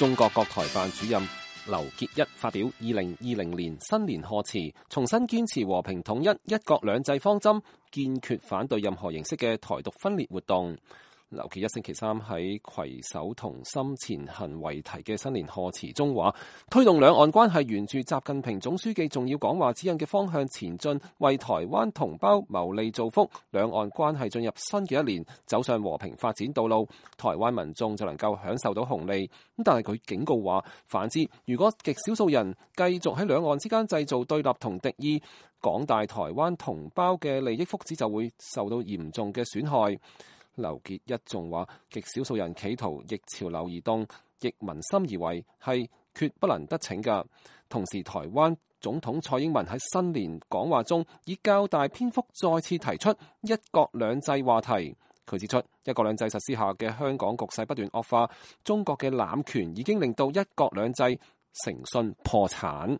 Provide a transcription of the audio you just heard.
中國國台辦主任劉結一發表2020年新年賀詞，重新堅持和平統一、一國兩制方針，堅決反對任何形式嘅台獨分裂活動。劉結一星期三喺攜手同心前行為題嘅新年賀詞中話，推動兩岸關係沿住習近平總書記重要講話指引嘅方向前進，為台灣同胞謀利造福，兩岸關係進入新嘅一年，走上和平發展道路，台灣民眾就能夠享受到紅利。但係佢警告話，反之，如果極少數人繼續喺兩岸之間製造對立同敵意，廣大台灣同胞嘅利益福祉就會受到嚴重嘅損害。劉結一仲話，極少數人企圖逆潮流而動，逆民心而為，係決不能得逞㗎。同時，台灣總統蔡英文喺新年講話中，以較大篇幅再次提出一國兩制話題。佢指出，一國兩制實施下嘅香港局勢不斷惡化，中國嘅濫權已經令到一國兩制誠信破產。